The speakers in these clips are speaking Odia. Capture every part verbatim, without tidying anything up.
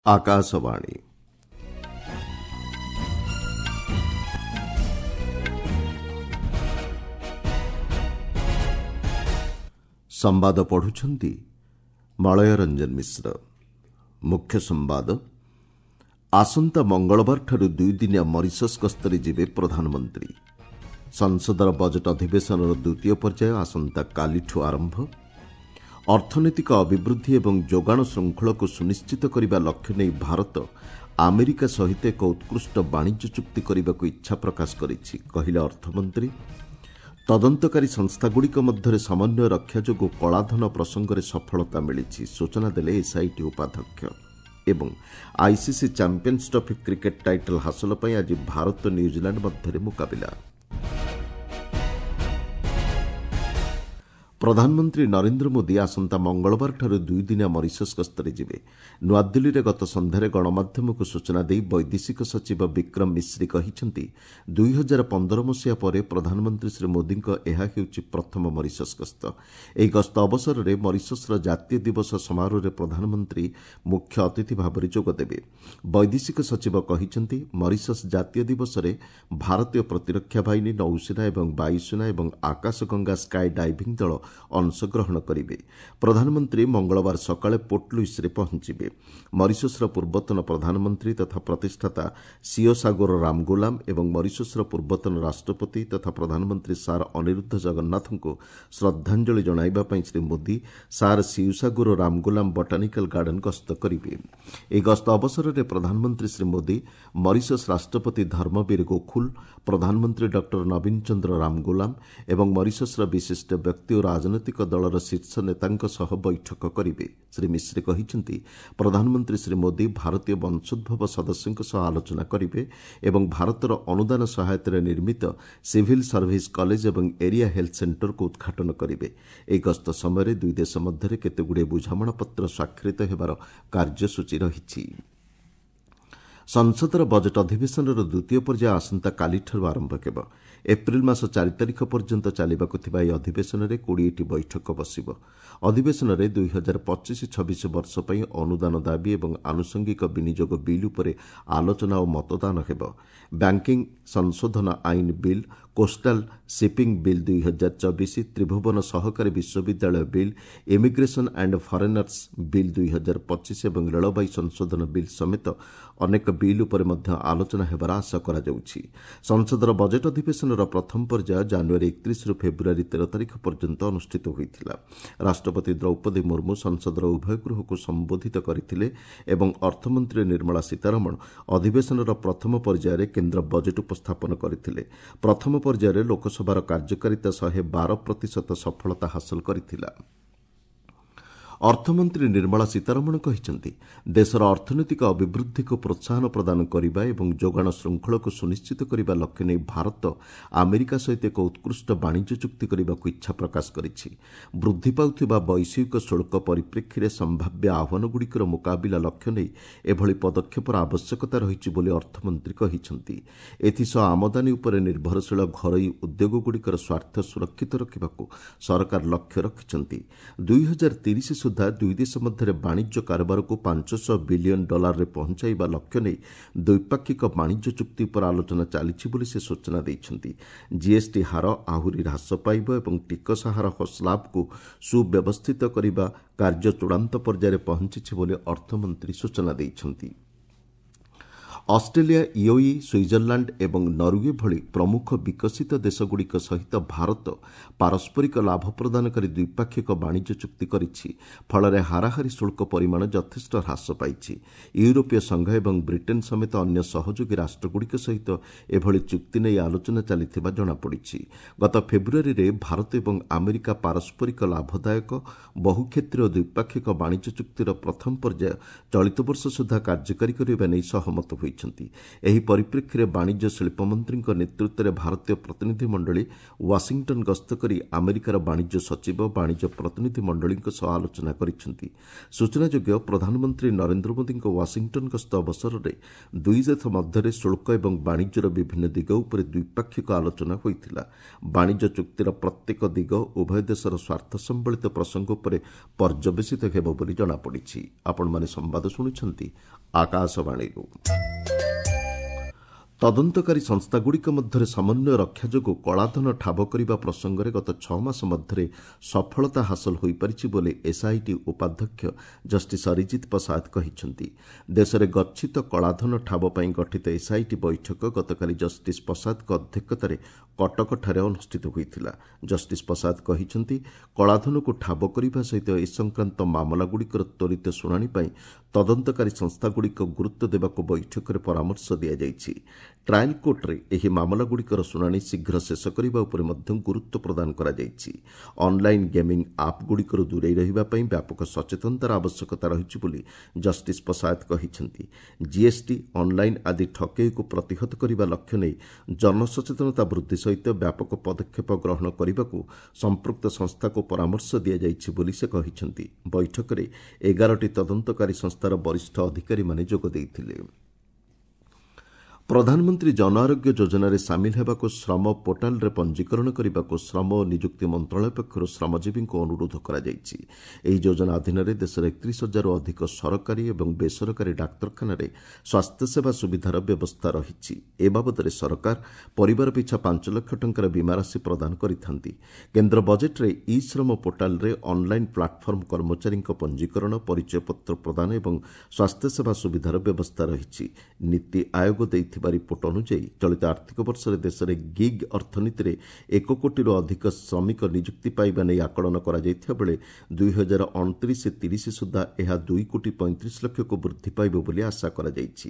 ଆକାଶବାଣୀ ସମ୍ବାଦ ପଢୁଛନ୍ତି ମଳୟ ରଞ୍ଜନ ମିଶ୍ର। ମୁଖ୍ୟ ସମ୍ବାଦ। ଆସନ୍ତା ମଙ୍ଗଳବାରଠାରୁ ଦୁଇଦିନିଆ ମରିସସ୍ ଗସ୍ତରେ ଯିବେ ପ୍ରଧାନମନ୍ତ୍ରୀ। ସଂସଦର ବଜେଟ୍ ଅଧିବେଶନର ଦ୍ୱିତୀୟ ପର୍ଯ୍ୟାୟ ଆସନ୍ତାକାଲିଠୁ ଆରମ୍ଭ। ଅର୍ଥନୈତିକ ଅଭିବୃଦ୍ଧି ଏବଂ ଯୋଗାଣ ଶୃଙ୍ଖଳକୁ ସୁନିଶ୍ଚିତ କରିବା ଲକ୍ଷ୍ୟ ନେଇ ଭାରତ ଆମେରିକା ସହିତ ଏକ ଉତ୍କୃଷ୍ଟ ବାଣିଜ୍ୟ ଚୁକ୍ତି କରିବାକୁ ଇଚ୍ଛା ପ୍ରକାଶ କରିଛି, କହିଲେ ଅର୍ଥମନ୍ତ୍ରୀ। ତଦନ୍ତକାରୀ ସଂସ୍ଥାଗୁଡ଼ିକ ମଧ୍ୟରେ ସମନ୍ୱୟ ରକ୍ଷା ଯୋଗୁଁ କଳାଧନ ପ୍ରସଙ୍ଗରେ ସଫଳତା ମିଳିଛି, ସୂଚନା ଦେଲେ ଏସ୍ଆଇଟି ଉପାଧ୍ୟକ୍ଷ। ଏବଂ ICC Champions Trophy cricket title ହାସଲ ପାଇଁ ଆଜି ଭାରତ ନ୍ୟୁଜିଲାଣ୍ଡ ମଧ୍ୟରେ ମୁକାବିଲା। ପ୍ରଧାନମନ୍ତ୍ରୀ ନରେନ୍ଦ୍ର ମୋଦି ଆସନ୍ତା ମଙ୍ଗଳବାରଠାରୁ ଦୁଇଦିନିଆ ମରିସସ୍ ଗସ୍ତରେ ଯିବେ। ନୂଆଦିଲ୍ଲୀରେ ଗତ ସନ୍ଧ୍ୟାରେ ଗଣମାଧ୍ୟମକୁ ସୂଚନା ଦେଇ ବୈଦେଶିକ ସଚିବ ବିକ୍ରମ ମିଶ୍ରି କହିଛନ୍ତି, ଦୁଇହଜାର ପନ୍ଦର ମସିହା ପରେ ପ୍ରଧାନମନ୍ତ୍ରୀ ଶ୍ରୀ ମୋଦିଙ୍କ ଏହା ହେଉଛି ପ୍ରଥମ ମରିସସ୍ ଗସ୍ତ। ଏହି ଗସ୍ତ ଅବସରରେ ମରିସସ୍ର ଜାତୀୟ ଦିବସ ସମାରୋହରେ ପ୍ରଧାନମନ୍ତ୍ରୀ ମୁଖ୍ୟ ଅତିଥି ଭାବରେ ଯୋଗଦେବେ। ବୈଦେଶିକ ସଚିବ କହିଛନ୍ତି, ମରିସସ୍ ଜାତୀୟ ଦିବସରେ ଭାରତୀୟ ପ୍ରତିରକ୍ଷା ବାହିନୀ, ନୌସେନା ଏବଂ ବାୟୁସେନା ଏବଂ ଆକାଶଗଙ୍ଗା ସ୍କାଏ ଡାଇଭିଂ ଦଳ ଅଂଶଗ୍ରହଣ କରିବେ। ପ୍ରଧାନମନ୍ତ୍ରୀ ମଙ୍ଗଳବାର ସକାଳେ ପୋର୍ଟ ଲୁଇସ୍ରେ ପହଞ୍ଚିବେ। ମରିସସ୍ର ପୂର୍ବତନ ପ୍ରଧାନମନ୍ତ୍ରୀ ତଥା ପ୍ରତିଷ୍ଠାତା ସିଓସାଗୋର ରାମଗୋଲାମ ଏବଂ ମରିସସ୍ର ପୂର୍ବତନ ରାଷ୍ଟ୍ରପତି ତଥା ପ୍ରଧାନମନ୍ତ୍ରୀ ସାର୍ ଅନିରୁଦ୍ଧ ଜଗନ୍ନାଥଙ୍କୁ ଶ୍ରଦ୍ଧାଞ୍ଜଳି ଜଣାଇବା ପାଇଁ Shri Modi Sir Seewoosagur Ramgoolam Botanical Garden ଗସ୍ତ କରିବେ। ଏହି ଗସ୍ତ ଅବସରରେ ପ୍ରଧାନମନ୍ତ୍ରୀ ଶ୍ରୀ ମୋଦି ମରିସସ୍ ରାଷ୍ଟ୍ରପତି ଧର୍ମବୀର ଗୋଖୁଲ, ପ୍ରଧାନମନ୍ତ୍ରୀ ଡକ୍ଟର ନବୀନ ଚନ୍ଦ୍ର ରାମଗୋଲାମ ଏବଂ ମରିସସ୍ର ବିଶିଷ୍ଟ ବ୍ୟକ୍ତି ଓ ରାଜନୈତିକ ଦଳର ଶୀର୍ଷ ନେତାଙ୍କ ସହ ବୈଠକ କରିବେ। ଶ୍ରୀ ମିଶ୍ରି କହିଛନ୍ତି, ପ୍ରଧାନମନ୍ତ୍ରୀ ଶ୍ରୀ ମୋଦି ଭାରତୀୟ ବଂଶୋଦ୍ଭବ ସଦସ୍ୟଙ୍କ ସହ ଆଲୋଚନା କରିବେ ଏବଂ ଭାରତର ଅନୁଦାନ ସହାୟତାରେ ନିର୍ମିତ ସିଭିଲ୍ ସର୍ଭିସ୍ କଲେଜ ଏବଂ ଏରିଆ ହେଲ୍ଥ ସେଣ୍ଟରକୁ ଉଦ୍ଘାଟନ କରିବେ। ଏହି ଗସ୍ତ ସମୟରେ ଦୁଇ ଦେଶ ମଧ୍ୟରେ କେତେଗୁଡ଼ିଏ ବୁଝାମଣାପତ୍ର ସ୍ୱାକ୍ଷରିତ ହେବାର କାର୍ଯ୍ୟସୂଚୀ ରହିଛି। ସଂସଦର ବଜେଟ୍ ଅଧିବେଶନର ଦ୍ୱିତୀୟ ପର୍ଯ୍ୟାୟ ଆସନ୍ତାକାଲିଠାରୁ ଆରମ୍ଭ ହେବ। ଏପ୍ରିଲ ମାସ ଚାରି ତାରିଖ ପର୍ଯ୍ୟନ୍ତ ଚାଲିବାକୁ ଥିବା ଏହି ଅଧିବେଶନରେ କୋଡ଼ିଏଟି ବୈଠକ ବସିବ। ଅଧିବେଶନରେ ଦୁଇହଜାର ପଚିଶ ଛବିଶ ବର୍ଷ ପାଇଁ ଅନୁଦାନ ଦାବି ଏବଂ ଆନୁଷଙ୍ଗିକ ବିନିଯୋଗ ବିଲ୍ ଉପରେ ଆଲୋଚନା ଓ ମତଦାନ ହେବ। ବ୍ୟାଙ୍କିଂ ସଂଶୋଧନ ଆଇନ ବିଲ୍, କୋଷ୍ଟାଲ ସିପିଂ ବିଲ୍ ଦୁଇହଜାର ଚବିଶ, ତ୍ରିଭୁବନ ସହକାରୀ ବିଶ୍ୱବିଦ୍ୟାଳୟ bill, immigration and foreigners bill ଦୁଇହଜାର ପଚିଶ ଏବଂ ରେଳବାଇ ସଂଶୋଧନ ବିଲ୍ ସମେତ ଅନେକ ବିଲ୍ ଉପରେ ମଧ୍ୟ ଆଲୋଚନା ହେବାର ଆଶା କରାଯାଉଛି। ସଂସଦର ବଜେଟ୍ ଅଧିବେଶନର ପ୍ରଥମ ପର୍ଯ୍ୟାୟ ଜାନୁଆରୀ ଏକତିରିଶରୁ ଫେବୃଆରୀ ତେର ତାରିଖ ପର୍ଯ୍ୟନ୍ତ ଅନୁଷ୍ଠିତ ହୋଇଥିଲା। ରାଷ୍ଟ୍ରପତି ଦ୍ରୌପଦୀ ମୁର୍ମୁ ସଂସଦର ଉଭୟ ଗୃହକୁ ସମ୍ବୋଧିତ କରିଥିଲେ ଏବଂ ଅର୍ଥମନ୍ତ୍ରୀ ନିର୍ମଳା ସୀତାରମଣ ଅଧିବେଶନର ପ୍ରଥମ ପର୍ଯ୍ୟାୟରେ କେନ୍ଦ୍ର ବଜେଟ୍ ଉପସ୍ଥାପନ କରିଥିଲେ। ପ୍ରଥମ ପର୍ଯ୍ୟାୟରେ ଲୋକସଭାର କାର୍ଯ୍ୟକାରିତା ଶହେ ବାର ପ୍ରତିଶତ ସଫଳତା ହାସଲ କରିଥିଲା। ଅର୍ଥମନ୍ତ୍ରୀ ନିର୍ମଳା ସୀତାରମଣ କହିଛନ୍ତି, ଦେଶର ଅର୍ଥନୈତିକ ଅଭିବୃଦ୍ଧିକୁ ପ୍ରୋତ୍ସାହନ ପ୍ରଦାନ କରିବା ଏବଂ ଯୋଗାଣ ଶୃଙ୍ଖଳକୁ ସୁନିଶ୍ଚିତ କରିବା ଲକ୍ଷ୍ୟ ନେଇ ଭାରତ ଆମେରିକା ସହିତ ଏକ ଉତ୍କୃଷ୍ଟ ବାଣିଜ୍ୟ ଚୁକ୍ତି କରିବାକୁ ଇଚ୍ଛା ପ୍ରକାଶ କରିଛି। ବୃଦ୍ଧି ପାଉଥିବା ବୈଷୟିକ ଶୁଳ୍କ ପରିପ୍ରେକ୍ଷୀରେ ସମ୍ଭାବ୍ୟ ଆହ୍ୱାନଗୁଡ଼ିକର ମୁକାବିଲା ଲକ୍ଷ୍ୟ ନେଇ ଏଭଳି ପଦକ୍ଷେପର ଆବଶ୍ୟକତା ରହିଛି ବୋଲି ଅର୍ଥମନ୍ତ୍ରୀ କହିଛନ୍ତି। ଏଥିସହ ଆମଦାନୀ ଉପରେ ନିର୍ଭରଶୀଳ ଘରୋଇ ଉଦ୍ୟୋଗଗୁଡ଼ିକର ସ୍ୱାର୍ଥ ସୁରକ୍ଷିତ ରଖିବାକୁ ସରକାର ଲକ୍ଷ୍ୟ ରଖିଛନ୍ତି। ଦୁଇହଜାର ତିରିଶ ସୁଦ୍ଧା ଦୁଇ ଦେଶ ମଧ୍ୟରେ ବାଣିଜ୍ୟ କାରବାରକୁ ପାଞ୍ଚଶହ ବିଲିୟନ ଡଲାରରେ ପହଞ୍ଚାଇବା ଲକ୍ଷ୍ୟ ନେଇ ଦ୍ୱିପାକ୍ଷିକ ବାଣିଜ୍ୟ ଚୁକ୍ତି ଉପରେ ଆଲୋଚନା ଚାଲିଛି ବୋଲି ସେ ସୂଚନା ଦେଇଛନ୍ତି। ଜିଏସ୍ଟି ହାର ଆହୁରି ହ୍ରାସ ପାଇବ ଏବଂ ଟିକସ ହାର ସ୍ଲାବ୍କୁ ସୁବ୍ୟବସ୍ଥିତ କରିବା କାର୍ଯ୍ୟ ଚୂଡ଼ାନ୍ତ ପର୍ଯ୍ୟାୟରେ ପହଞ୍ଚିଛି ବୋଲି ଅର୍ଥମନ୍ତ୍ରୀ ସୂଚନା ଦେଇଛନ୍ତି। ଅଷ୍ଟ୍ରେଲିଆ, ୟୁଏଇ, ସୁଇଜରଲ୍ୟାଣ୍ଡ ଏବଂ ନରୱେ ଭଳି ପ୍ରମୁଖ ବିକଶିତ ଦେଶଗୁଡ଼ିକ ସହିତ ଭାରତ ପାରସ୍ପରିକ ଲାଭ ପ୍ରଦାନକାରୀ ଦ୍ୱିପାକ୍ଷିକ ବାଣିଜ୍ୟ ଚୁକ୍ତି କରିଛି। ଫଳରେ ହାରାହାରି ଶୁଳ୍କ ପରିମାଣ ଯଥେଷ୍ଟ ହ୍ରାସ ପାଇଛି। ୟୁରୋପୀୟ ସଂଘ ଏବଂ ବ୍ରିଟେନ୍ ସମେତ ଅନ୍ୟ ସହଯୋଗୀ ରାଷ୍ଟ୍ରଗୁଡ଼ିକ ସହିତ ଏଭଳି ଚୁକ୍ତି ନେଇ ଆଲୋଚନା ଚାଲିଥିବା ଜଣାପଡ଼ିଛି। ଗତ ଫେବୃଆରୀରେ ଭାରତ ଏବଂ ଆମେରିକା ପାରସ୍ପରିକ ଲାଭଦାୟକ ବହୁକ୍ଷେତ୍ରୀୟ ଦ୍ୱିପାକ୍ଷିକ ବାଣିଜ୍ୟ ଚୁକ୍ତିର ପ୍ରଥମ ପର୍ଯ୍ୟାୟ ଚଳିତ ବର୍ଷ ସୁଦ୍ଧା କାର୍ଯ୍ୟକାରୀ କରିବା ନେଇ ସହମତ ହୋଇଛନ୍ତି। କରିଛନ୍ତି। ଏହି ପରିପ୍ରେକ୍ଷୀରେ ବାଣିଜ୍ୟ ଶିଳ୍ପମନ୍ତ୍ରୀଙ୍କ ନେତୃତ୍ୱରେ ଭାରତୀୟ ପ୍ରତିନିଧି ମଣ୍ଡଳୀ ୱାଶିଂଟନ ଗସ୍ତ କରି ଆମେରିକାର ବାଣିଜ୍ୟ ସଚିବ, ବାଣିଜ୍ୟ ପ୍ରତିନିଧି ମଣ୍ଡଳୀଙ୍କ ସହ ଆଲୋଚନା କରିଛନ୍ତି। ସୂଚନାଯୋଗ୍ୟ, ପ୍ରଧାନମନ୍ତ୍ରୀ ନରେନ୍ଦ୍ର ମୋଦିଙ୍କ ୱାଶିଂଟନ ଗସ୍ତ ଅବସରରେ ଦୁଇ ଦେଶ ମଧ୍ୟରେ ଶୁଳ୍କ ଏବଂ ବାଣିଜ୍ୟର ବିଭିନ୍ନ ଦିଗ ଉପରେ ଦ୍ୱିପାକ୍ଷିକ ଆଲୋଚନା ହୋଇଥିଲା। ବାଣିଜ୍ୟ ଚୁକ୍ତିର ପ୍ରତ୍ୟେକ ଦିଗ ଉଭୟ ଦେଶର ସ୍ୱାର୍ଥ ସମ୍ବଳିତ ପ୍ରସଙ୍ଗ ଉପରେ ପର୍ଯ୍ୟବସିତ ହେବ ବୋଲି ଜଣାପଡ଼ିଛି। ଆପଣମାନେ ସମ୍ବାଦ ଶୁଣୁଛନ୍ତି ଆକାଶବାଣୀରୁ। ତଦନ୍ତକାରୀ ସଂସ୍ଥାଗୁଡ଼ିକ ମଧ୍ୟରେ ସମନ୍ୱୟ ରକ୍ଷା ଯୋଗୁଁ କଳାଧନ ଠାବ କରିବା ପ୍ରସଙ୍ଗରେ ଗତ ଛଅ ମାସ ମଧ୍ୟରେ ସଫଳତା ହାସଲ ହୋଇପାରିଛି ବୋଲି ଏସ୍ଆଇଟି ଉପାଧ୍ୟକ୍ଷ ଜଷ୍ଟିସ୍ ଅରିଜିତ ପ୍ରସାଦ କହିଛନ୍ତି। ଦେଶରେ ଗଚ୍ଛିତ କଳାଧନ ଠାବ ପାଇଁ ଗଠିତ ଏସ୍ଆଇଟି ବୈଠକ ଗତକାଲି ଜଷ୍ଟିସ୍ ପ୍ରସାଦଙ୍କ ଅଧ୍ୟକ୍ଷତାରେ କଟକଠାରେ ଅନୁଷ୍ଠିତ ହୋଇଥିଲା। ଜଷ୍ଟିସ୍ ପ୍ରସାଦ କହିଛନ୍ତି, କଳାଧନକୁ ଠାବ କରିବା ସହିତ ଏ ସଂକ୍ରାନ୍ତ ମାମଲାଗୁଡ଼ିକର ତ୍ୱରିତ ଶୁଣାଣି ପାଇଁ ତଦନ୍ତକାରୀ ସଂସ୍ଥାଗୁଡ଼ିକ ଗୁରୁତ୍ୱ ଦେବାକୁ ବୈଠକରେ ପରାମର୍ଶ ଦିଆଯାଇଛି। ଟ୍ରାଏଲ୍ କୋର୍ଟରେ ଏହି ମାମଲାଗୁଡ଼ିକର ଶୁଣାଣି ଶୀଘ୍ର ଶେଷ କରିବା ଉପରେ ମଧ୍ୟ ଗୁରୁତ୍ୱ ପ୍ରଦାନ କରାଯାଇଛି। ଅନ୍ଲାଇନ୍ ଗେମିଂ ଆପ୍ଗୁଡ଼ିକରୁ ଦୂରେଇ ରହିବା ପାଇଁ ବ୍ୟାପକ ସଚେତନତାର ଆବଶ୍ୟକତା ରହିଛି ବୋଲି ଜଷ୍ଟିସ୍ ପ୍ରସାଦ କହିଛନ୍ତି। ଜିଏସ୍ଟି, ଅନ୍ଲାଇନ୍ ଆଦି ଠକେଇକୁ ପ୍ରତିହତ କରିବା ଲକ୍ଷ୍ୟ ନେଇ ଜନସଚେତନତା ବୃଦ୍ଧି ସହିତ ବ୍ୟାପକ ପଦକ୍ଷେପ ଗ୍ରହଣ କରିବାକୁ ସମ୍ପୃକ୍ତ ସଂସ୍ଥାକୁ ପରାମର୍ଶ ଦିଆଯାଇଛି ବୋଲି ସେ କହିଛନ୍ତି। ବୈଠକରେ ଏଗାରଟି ତଦନ୍ତକାରୀ ସଂସ୍ଥାର ବରିଷ୍ଠ ଅଧିକାରୀମାନେ ଯୋଗ ଦେଇଥିଲେ। ପ୍ରଧାନମନ୍ତ୍ରୀ ଜନ ଆରୋଗ୍ୟ ଯୋଜନାରେ ସାମିଲ ହେବାକୁ ଶ୍ରମ ପୋର୍ଟାଲରେ ପଞ୍ଜୀକରଣ କରିବାକୁ ଶ୍ରମ ଓ ନିଯୁକ୍ତି ମନ୍ତ୍ରଣାଳୟ ପକ୍ଷରୁ ଶ୍ରମଜୀବୀଙ୍କୁ ଅନୁରୋଧ କରାଯାଇଛି। ଏହି ଯୋଜନା ଅଧୀନରେ ଦେଶର ଏକତିରିଶ ହଜାରରୁ ଅଧିକ ସରକାରୀ ଏବଂ ବେସରକାରୀ ଡାକ୍ତରଖାନାରେ ସ୍ୱାସ୍ଥ୍ୟସେବା ସୁବିଧାର ବ୍ୟବସ୍ଥା ରହିଛି। ଏ ବାବଦରେ ସରକାର ପରିବାର ପିଛା ପାଞ୍ଚ ଲକ୍ଷ ଟଙ୍କାର ବୀମା ରାଶି ପ୍ରଦାନ କରିଥାନ୍ତି। କେନ୍ଦ୍ର ବଜେଟ୍ରେ ଇ ଶ୍ରମ ପୋର୍ଟାଲରେ ଅନ୍ଲାଇନ୍ ପ୍ଲାଟଫର୍ମ କର୍ମଚାରୀଙ୍କ ପଞ୍ଜୀକରଣ, ପରିଚୟପତ୍ର ପ୍ରଦାନ ଏବଂ ସ୍ୱାସ୍ଥ୍ୟସେବା ସୁବିଧାର ବ୍ୟବସ୍ଥା ରହିଛି। ନୀତି ଆୟୋଗ ଦେଇଥିବା ରିପୋର୍ଟ ଅନୁଯାୟୀ ଚଳିତ ଆର୍ଥିକ ବର୍ଷରେ ଦେଶରେ ଗିଗ୍ ଅର୍ଥନୀତିରେ ଏକ କୋଟିରୁ ଅଧିକ ଶ୍ରମିକ ନିଯୁକ୍ତି ପାଇବା ନେଇ ଆକଳନ କରାଯାଇଥିବା ବେଳେ ଦୁଇ ହଜାର ଅଣତିରିଶ ତିରିଶ ସୁଦ୍ଧା ଏହା ଦୁଇ କୋଟି ପଇଁତିରିଶ ଲକ୍ଷକୁ ବୃଦ୍ଧି ପାଇବ ବୋଲି ଆଶା କରାଯାଇଛି।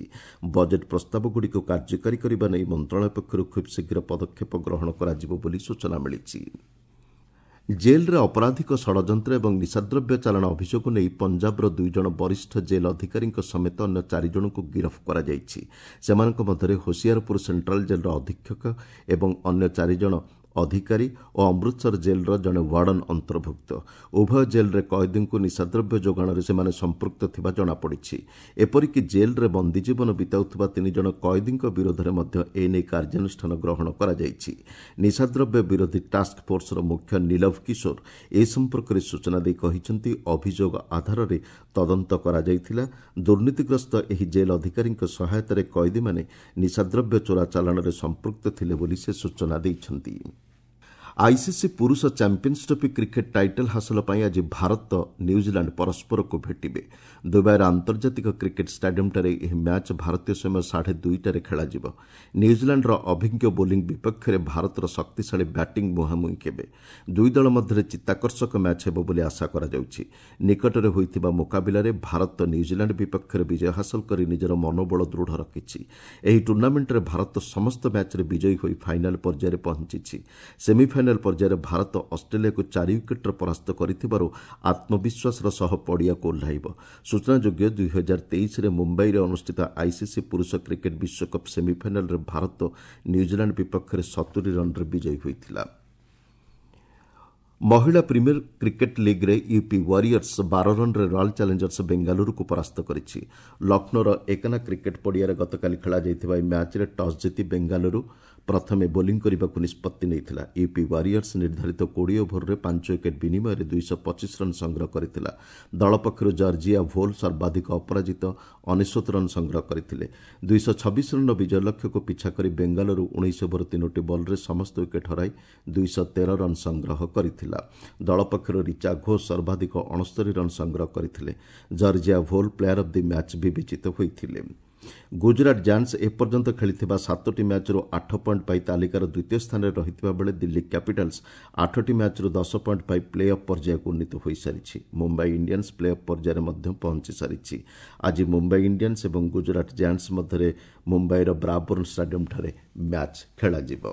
ବଜେଟ୍ ପ୍ରସ୍ତାବଗୁଡ଼ିକୁ କାର୍ଯ୍ୟକାରୀ କରିବା ନେଇ ମନ୍ତ୍ରଣାଳୟ ପକ୍ଷରୁ ଖୁବ୍ ଶୀଘ୍ର ପଦକ୍ଷେପ ଗ୍ରହଣ କରାଯିବ ବୋଲି ସୂଚନା ମିଳିଛି। ଜେଲ୍ରେ ଅପରାଧିକ ଷଡ଼ଯନ୍ତ୍ର ଏବଂ ନିଶାଦ୍ରବ୍ୟ ଚାଲାଣ ଅଭିଯୋଗ ନେଇ ପଞ୍ଜାବର ଦୁଇ ଜଣ ବରିଷ୍ଠ ଜେଲ୍ ଅଧିକାରୀଙ୍କ ସମେତ ଅନ୍ୟ ଚାରି ଜଣଙ୍କୁ ଗିରଫ କରାଯାଇଛି। ସେମାନଙ୍କ ମଧ୍ୟରେ ହୋସିଆରପୁର ସେଣ୍ଟ୍ରାଲ ଜେଲ୍ର ଅଧୀକ୍ଷକ ଏବଂ ଅନ୍ୟ ଚାରି ଜଣ ଅଧିକାରୀ ଓ ଅମୃତସର ଜେଲ୍ର ଜଣେ ୱାର୍ଡନ୍ ଅନ୍ତର୍ଭୁକ୍ତ। ଉଭୟ ଜେଲ୍ରେ କଏଦୀଙ୍କୁ ନିଶାଦ୍ରବ୍ୟ ଯୋଗାଣରେ ସେମାନେ ସମ୍ପୃକ୍ତ ଥିବା ଜଣାପଡ଼ିଛି। ଏପରିକି ଜେଲ୍ରେ ବନ୍ଦୀ ଜୀବନ ବିତାଉଥିବା ତିନି ଜଣ କଏଦୀଙ୍କ ବିରୋଧରେ ମଧ୍ୟ ଏନେଇ କାର୍ଯ୍ୟାନୁଷ୍ଠାନ ଗ୍ରହଣ କରାଯାଇଛି। ନିଶାଦ୍ରବ୍ୟ ବିରୋଧୀ ଟାସ୍କ ଫୋର୍ସର ମୁଖ୍ୟ ନୀଲଭ କିଶୋର ଏ ସମ୍ପର୍କରେ ସୂଚନା ଦେଇ କହିଛନ୍ତି, ଅଭିଯୋଗ ଆଧାରରେ ତଦନ୍ତ କରାଯାଇଥିଲା। ଦୁର୍ନୀତିଗ୍ରସ୍ତ ଏହି ଜେଲ୍ ଅଧିକାରୀଙ୍କ ସହାୟତାରେ କଏଦୀମାନେ ନିଶାଦ୍ରବ୍ୟ ଚୋରା ଚାଲାଣରେ ସମ୍ପୃକ୍ତ ଥିଲେ ବୋଲି ସେ ସୂଚନା ଦେଇଛନ୍ତି। ଆଇସିସି ପୁରୁଷ ଚାମ୍ପିୟନ୍ସ ଟ୍ରଫି କ୍ରିକେଟ୍ ଟାଇଟଲ୍ ହାସଲ ପାଇଁ ଆଜି ଭାରତ ନ୍ୟୁଜିଲାଣ୍ଡ ପରସ୍ପରକୁ ଭେଟିବେ। ଦୁବାଇର ଆନ୍ତର୍ଜାତିକ କ୍ରିକେଟ୍ ଷ୍ଟାଡିୟମ୍ଠାରେ ଏହି ମ୍ୟାଚ୍ ଭାରତୀୟ ସମୟ ସାଢ଼େ ଦୁଇଟାରେ ଖେଳାଯିବ। ନ୍ୟୁଜିଲାଣ୍ଡର ଅଭିଜ୍ଞ ବୋଲିଂ ବିପକ୍ଷରେ ଭାରତର ଶକ୍ତିଶାଳୀ ବ୍ୟାଟିଂ ମୁହାଁମୁହିଁ ହେବେ। ଦୁଇ ଦଳ ମଧ୍ୟରେ ଚିତ୍ତାକର୍ଷକ ମ୍ୟାଚ୍ ହେବ ବୋଲି ଆଶା କରାଯାଉଛି। ନିକଟରେ ହୋଇଥିବା ମୁକାବିଲାରେ ଭାରତ ନ୍ୟୁଜିଲାଣ୍ଡ ବିପକ୍ଷରେ ବିଜୟ ହାସଲ କରି ନିଜର ମନୋବଳ ଦୃଢ଼ ରଖିଛି। ଏହି ଟୁର୍ଣ୍ଣାମେଣ୍ଟରେ ଭାରତ ସମସ୍ତ ମ୍ୟାଚ୍ରେ ବିଜୟୀ ହୋଇ ଫାଇନାଲ୍ ପର୍ଯ୍ୟାୟରେ ପହଞ୍ଚିଛି। ସେମିଫାଇନାଲ ପର୍ଯ୍ୟାୟରେ ଭାରତ ଅଷ୍ଟ୍ରେଲିଆକୁ ଚାରି ୱିକେଟ୍ରେ ପରାସ୍ତ କରିଥିବାରୁ ଆତ୍ମବିଶ୍ୱାସର ସହ ପଡ଼ିଆକୁ ଓହ୍ଲାଇବ। ସୂଚନାଯୋଗ୍ୟ, ଦୁଇ ହଜାର ତେଇଶରେ ମୁମ୍ବାଇରେ ଅନୁଷ୍ଠିତ ଆଇସିସି ପୁରୁଷ କ୍ରିକେଟ୍ ବିଶ୍ୱକପ୍ ସେମିଫାଇନାଲରେ ଭାରତ ନ୍ୟୁଜିଲାଣ୍ଡ ବିପକ୍ଷରେ ସତୁରି ରନ୍ରେ ବିଜୟୀ ହୋଇଥିଲା। ମହିଳା ପ୍ରିମିୟର କ୍ରିକେଟ୍ ଲିଗ୍ରେ ୟୁପି ୱାରିୟର୍ସ ବାର ରନ୍ରେ ରୟାଲ୍ ଚ୍ୟାଲେଞ୍ଜର୍ସ ବେଙ୍ଗାଲୁରୁକୁ ପରାସ୍ତ କରିଛି। ଲକ୍ଷ୍ନୌର ଏକନା କ୍ରିକେଟ୍ ପଡ଼ିଆରେ ଗତକାଲି ଖେଳାଯାଇଥିବା ଏହି ମ୍ୟାଚ୍ରେ ଟସ୍ ଜିତି ବେଙ୍ଗାଲୁରୁ ପ୍ରଥମେ ବୋଲିଂ କରିବାକୁ ନିଷ୍ପତ୍ତି ନେଇଥିଲା। ୟୁପି ୱାରିୟର୍ସ ନିର୍ଦ୍ଧାରିତ କୋଡ଼ିଏ ଓଭରରେ ପାଞ୍ଚ ୱିକେଟ୍ ବିନିମୟରେ ଦୁଇଶହ ପଚିଶ ରନ୍ ସଂଗ୍ରହ କରିଥିଲା। ଦଳ ପକ୍ଷରୁ ଜର୍ଜିଆ ଭୋଲ୍ ସର୍ବାଧିକ ଅପରାଜିତ ଅନେଶ୍ୱତ ରନ୍ ସଂଗ୍ରହ କରିଥିଲେ। ଦୁଇଶହ ଛବିଶ ରନ୍ର ବିଜୟ ଲକ୍ଷ୍ୟକୁ ପିଛା କରି ବେଙ୍ଗାଲୁରୁ ଉଣେଇଶ ଓଭର ତିନୋଟି ବଲ୍ରେ ସମସ୍ତ ୱିକେଟ୍ ହରାଇ ଦୁଇଶହ ତେର ରନ୍ ସଂଗ୍ରହ କରିଥିଲା। ଦଳ ପକ୍ଷରୁ ରିଚା ଘୋଷ ସର୍ବାଧିକ ଅଣସ୍ତରୀ ରନ୍ ସଂଗ୍ରହ କରିଥିଲେ। Georgia Voll player of the match ବିବେଚିତ ହୋଇଥିଲେ। ଗୁଜରାଟ ଜାୟାଣ୍ଟସ୍ ଏପର୍ଯ୍ୟନ୍ତ ଖେଳିଥିବା ସାତୋଟି ମ୍ୟାଚ୍ରୁ ଆଠ ପଏଣ୍ଟ ପାଇ ତାଲିକାର ଦ୍ୱିତୀୟ ସ୍ଥାନରେ ରହିଥିବା ବେଳେ ଦିଲ୍ଲୀ କ୍ୟାପିଟାଲ୍ସ ଆଠଟି ମ୍ୟାଚ୍ରୁ ଦଶ ପଏଣ୍ଟ ପାଇ ପ୍ଲେ ଅଫ୍ ପର୍ଯ୍ୟାୟକୁ ଉନ୍ନୀତ ହୋଇସାରିଛି। ମୁମ୍ବାଇ ଇଣ୍ଡିଆନ୍ସ ପ୍ଲେ ଅଫ୍ ପର୍ଯ୍ୟାୟରେ ମଧ୍ୟ ପହଞ୍ଚି ସାରିଛି। ଆଜି ମୁମ୍ବାଇ ଇଣ୍ଡିଆନ୍ସ ଏବଂ ଗୁଜରାଟ ଜାୟାଣ୍ଟସ୍ ମଧ୍ୟରେ ମୁମ୍ବାଇର ବ୍ରାବର୍ଣ୍ଣ ଷ୍ଟାଡିୟମ୍ଠାରେ ମ୍ୟାଚ୍ ଖେଳାଯିବ।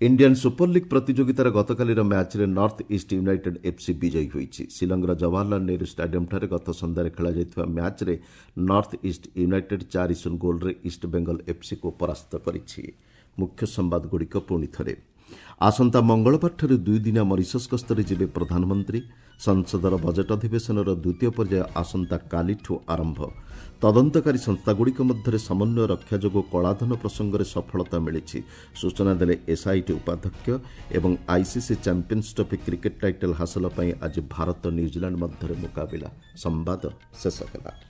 ଇଣ୍ଡିଆନ୍ ସୁପର ଲିଗ୍ ପ୍ରତିଯୋଗିତାର ଗତକାଲିର ମ୍ୟାଚ୍ରେ ନର୍ଥ ଇଷ୍ଟ ୟୁନାଇଟେଡ୍ ଏଫ୍ସି ବିଜୟୀ ହୋଇଛି। ଶିଲଂର ଜବାହରଲାଲ ନେହେରୁ ଷ୍ଟାଡିୟମ୍ଠାରେ ଗତ ସନ୍ଧ୍ୟାରେ ଖେଳାଯାଇଥିବା ମ୍ୟାଚ୍ରେ ନର୍ଥ ଇଷ୍ଟ ୟୁନାଇଟେଡ୍ ଚାରି ଶୂନ ଗୋଲ୍ରେ ଇଷ୍ଟ ବେଙ୍ଗଲ ଏଫ୍ସିକୁ ପରାସ୍ତ କରିଛି। ମୁଖ୍ୟ ସମ୍ବାଦଗୁଡ଼ିକ ପୁଣି ଥରେ, ଆସନ୍ତା ମଙ୍ଗଳବାରଠାରୁ ଦୁଇଦିନିଆ ମରିସସ୍ ଗସ୍ତରେ ଯିବେ ପ୍ରଧାନମନ୍ତ୍ରୀ। ସଂସଦର ବଜେଟ୍ ଅଧିବେଶନର ଦ୍ୱିତୀୟ ପର୍ଯ୍ୟାୟ ଆସନ୍ତାକାଲିଠୁ ଆରମ୍ଭ। ତଦନ୍ତକାରୀ ସଂସ୍ଥାଗୁଡ଼ିକ ମଧ୍ୟରେ ସମନ୍ୱୟ ରକ୍ଷା ଯୋଗୁଁ କଳାଧନ ପ୍ରସଙ୍ଗରେ ସଫଳତା ମିଳିଛି, ସୂଚନା ଦେଲେ ଏସ୍ଆଇଟି ଉପାଧ୍ୟକ୍ଷ। ଏବଂ ICC champions trophy cricket title ହାସଲ ପାଇଁ ଆଜି ଭାରତ ନ୍ୟୁଜିଲାଣ୍ଡ ମଧ୍ୟରେ ମୁକାବିଲା। ସମ୍ବାଦ ଶେଷ ହେଲା।